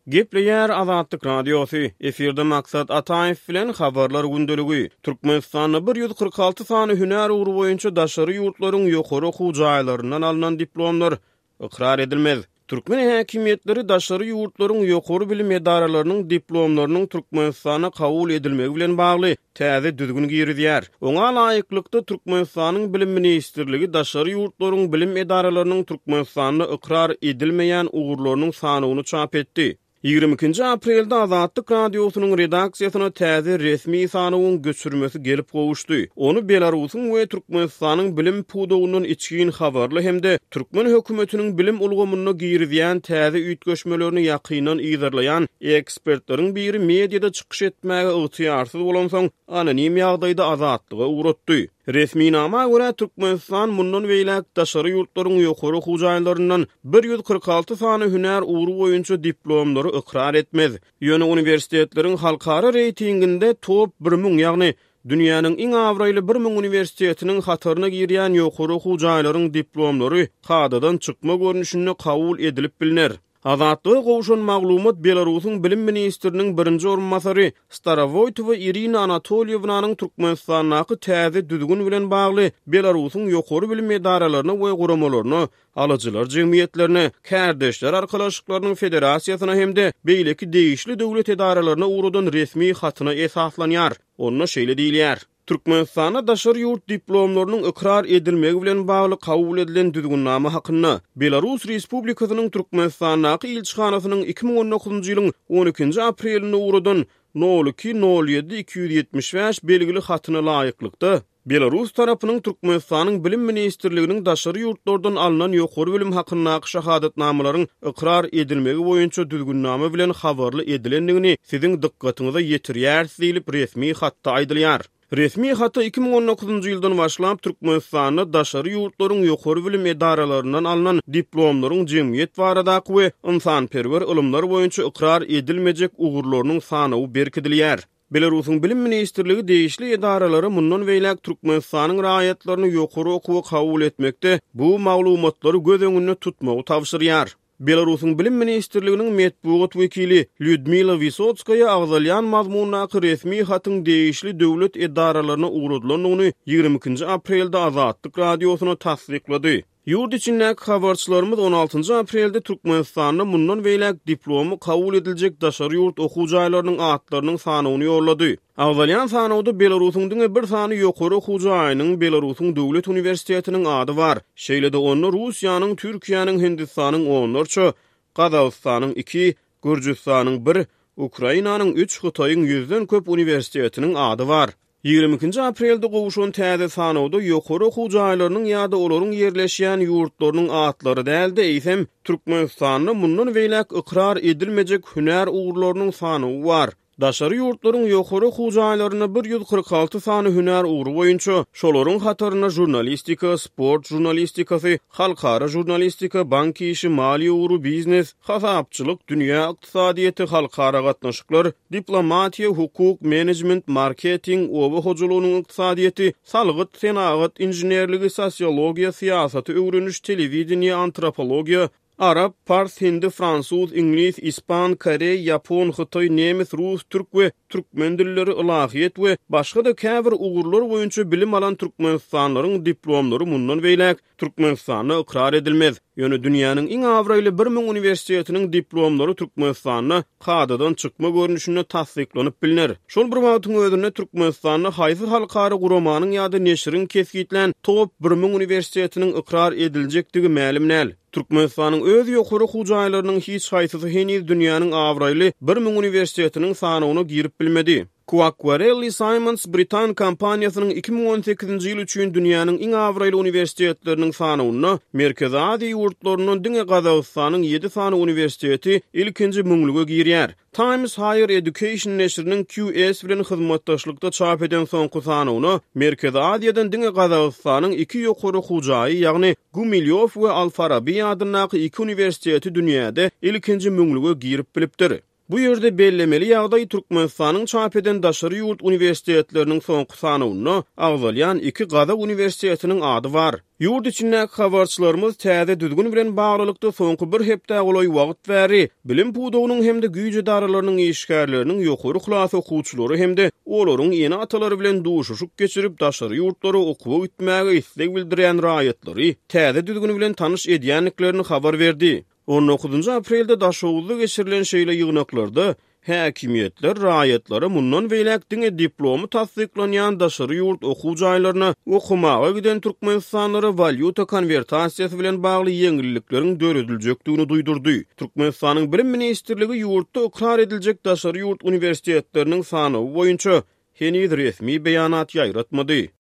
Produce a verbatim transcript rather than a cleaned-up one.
Gepleýär Azatlyk Radiosy, efirde Maksat Ataýew bilen Habarlar gündeligi. Türkmenistanda bir ýüz kyrk alty sany hünär ugry boýunça daşary ýurtlaryň ýokary okuw jaýlaryndan alnan diplomlar ykrar edilmez. Türkmen häkimiýetleri daşary ýurtlaryň ýokary bilim edaralarynyň diplomlarynyň Türkmenistana kabul edilmegi bilen bagly täze düzgün girizýär. Oňa laýyklykda Türkmenistanyň Bilim ministrligi daşary ýurtlaryň bilim edaralarynyň Türkmenistanda ykrar edilmeýän ugurlarynyň sanawyny çap etdi. Ýigrimi ikinji aprelde Azatlyk Radiosynyň redaksiýasyna täze resmi sanawyň göçürmesi gelip gowuşdy. Ony Belarusyň we Türkmenistanyň bilim pudagyndan içgin habarly hem-de türkmen hökümetiniň bilim ulgamynda girizýän täze üýtgeşmelerini ýakyndan yzarlaýan ekspertleriň biri mediada çykyş etmäge ygtyýarsyz bolansoň, anonim ýagdaýda Azatlyga ugratdy. Resminama görä, Türkmenistan mundan beýläk daşary ýurtlaryň ýokary okuw jaýlaryndan bir ýüz kyrk alty sany hünär ugry boýunça diplomlary ykrar etmez. Ýöne uniwersitetleriň halkara reýtinginde top bir müň, ýagny dünýäniň iň abraýly bir müň uniwersitetiniň hataryna girýän ýokary okuw jaýlaryň diplomlary kadadan çykma görnüşinde kabul edilip bilner. Azatlyga gowşan maglumat Belarusyň bilim ministriniň birinji orunbasary Starowoýtowa Irina Anatolýewnanyň Türkmenistandaky täze düzgün bilen bagly Belarusyň ýokary bilim edaralaryna we guramalaryna, alyjylar jemgyýetlerine, kärdeşler arkalaşyklarynyň federasiýasyna hem-de beýleki degişli döwlet edaralaryna ugradan resmi hatyna esaslanýar. Onda şeýle diýilýär. Türkmenistanda daşary ýurt diplomlarynyň ykrar edilmegi bilen bagly kabul edilen düzgünnama hakynda Belarus Respublikasynyň Türkmenistandaky ilçihanasynyň iki müň on dokuzynjy ýylyň on ikinji aprelinde ugradan nol iki nol ýedi iki ýüz ýetmiş bäş belgili hatyna laýyklykda, Belarus tarapynyň Türkmenistanyň Bilim ministrliginiň daşary ýurtlardan alnan ýokary bilim hakyndaky şahadatnamalaryň ykrar edilmegi boýunça düzgünnama bilen habarly edilendigini siziň dykgatyňyza ýetirýäris diýlip resmi hatda aýdylýar. Resmi hata iki müň on dokuzynjy ýyldan başlap Türkmenistanda daşary ýurtlaryň ýokary bilim edaralaryndan alnan diplomlaryň jemgyýet baradaky we ynsanperwer ylymlar boýunça ykrar edilmejek ugurlarynyň sanawy berkidilýär. Belarusyň Bilim ministrligi degişli edaralara mundan beýläk Türkmenistanyň raýatlaryny ýokary okuwa kabul etmekde bu maglumatlary göz öňünde tutmagy tabşyrýar. Belarusyň Bilim ministrliginiň metbugat wekili Lýudmila Wisotskaýa agzalýan mazmundaky resmi hatyň degişli döwlet edaralaryna ugradylandygyny ýigrimi ikinji aprelde Azatlyk Radiosyna tassyklady. Ýurt içindäki habarçylarymyz on altynjy aprelde Türkmenistanda mundan beýläk diplomy kabul ediljek daşary ýurt okuw jaýlarynyň atlarynyň sanawyny ýollady. Agzalýan sanawda Belarusyň diňe bir sany ýokary okuw jaýynyň Belarusyň Döwlet uniwersitetiniň ady bar. Şeýle-de onda Russiýanyň, Türkiýäniň, Hindistanyň onlarça, Gazagystanyň iki, Gürjüstanyň bir, Ukrainanyň üç, Hytaýyň ýüzden köp uniwersitetiniň ady bar. Ýigrimi ikinji aprelde gowşan täze sanawda ýokary okuw jaýlarynyň ýa-da olaryň ýerleşýän ýurtlarynyň atlary däl-de, eýsem, Türkmenistanda mundan beýläk ykrar edilmejek hünär ugurlarynyň sanawy bar. Daşary ýurtlaryň ýokary okuw jaýlarynda bir ýüz kyrk alty sany hünär ugry boýunça, şolaryň hatarynda žurnalistika, sport žurnalistikasy, halkara žurnalistika, bank işi, maliýe ugry, biznes, hasapçylyk, dünýä ykdysadyýeti, halkara gatnaşyklar, diplomatiýa, hukuk, menejment, marketing, oba hojalygynyň ykdysadyýeti, salgyt, senagat, inženerligi, sosiologiýa, syýasaty öwreniş, telewideniýe, antropologiýa, arap, pars, hindi, fransuz, iňlis, ispan, koreý, ýapon, hytaý, nemes, rus, türk we türkmen dilleri, ylahyýet we başga-da käbir ugurlar boýunça bilim alan türkmenistanlylaryň diplomlary mundan beýläk Türkmenistanda ykrar edilmez. Ýöne dünýäniň iň abraýly bir müň uniwersitetiniň diplomlary Türkmenistanda kadadan çykma görnüşinde tassyklanyp bilner. Şol bir wagtyň özünde Türkmenistanda haýsy halkara guramanyň ýa-da neşiriň kesgitlän top bir müň uniwersitetiniň ykrar ediljekdigi mälim däl. Türkmenistanyň öz ýokary okuw jaýlarynyň hiç haýsysy heniz dünýäniň abraýly bir müň uniwersitetiniň sanawyna girip bilmedi. Quacquarelli Symonds Britan kompaniýasynyň iki müň on sekizinji ýyl üçin dünýäniň iň abraýly uniwersitetleriniň sanawynda Merkezi Aziýa ýurtlaryndan diňe Gazagystanyň ýedi sany uniwersiteti ilkinji müňlüge girýär. Times Higher Education neşiriniň Q S bilen hyzmatdaşlykda çap eden soňky sanawyna Merkezi Aziýadan diňe Gazagystanyň iki ýokary okuw jaýy, ýagny Gumilýow we Al-Farabi adyndaky iki uniwersiteti dünýäde ilkinji müňlüge girip bilipdir. Bu ýerde bellemeli ýagdaý Türkmenistanyň çap eden daşary ýurt uniwersitetleriniň soňky sanawynda agzalýan iki gazak uniwersitetiniň ady bar. Ýurt içindäki habarçylarymyz täze düzgün bilen baglylykda soňky bir hepdä golaý wagt bäri bilim pudagynyň hem-de güýç edaralarynyň işgärleriniň ýokary klas okuwçylary hem-de olaryň ene-atalary bilen duşuşyk geçirip, daşary ýurtlara okuwa gitmäge isleg bildirýän raýatlary täze düzgün bilen tanyş edýändiklerini habar berdi. On dokuzynjy aprelde Daşoguzda geçirilen şeýle ýygnaklarda häkimiýetler raýatlara mundan beýläk diňe diplomy tassyklanýan daşary ýurt okuw jaýlaryna okamaga giden türkmenistanlylara walýuta konwertasiýasy bilen bagly ýeňillikleriň dörediljekdigini duýdurdy. Türkmenistanyň Bilim ministrligi ýurtda ykrar ediljek daşary ýurt uniwersitetleriniň sanawy boýunça heniz resmi beýanat ýaýratmady.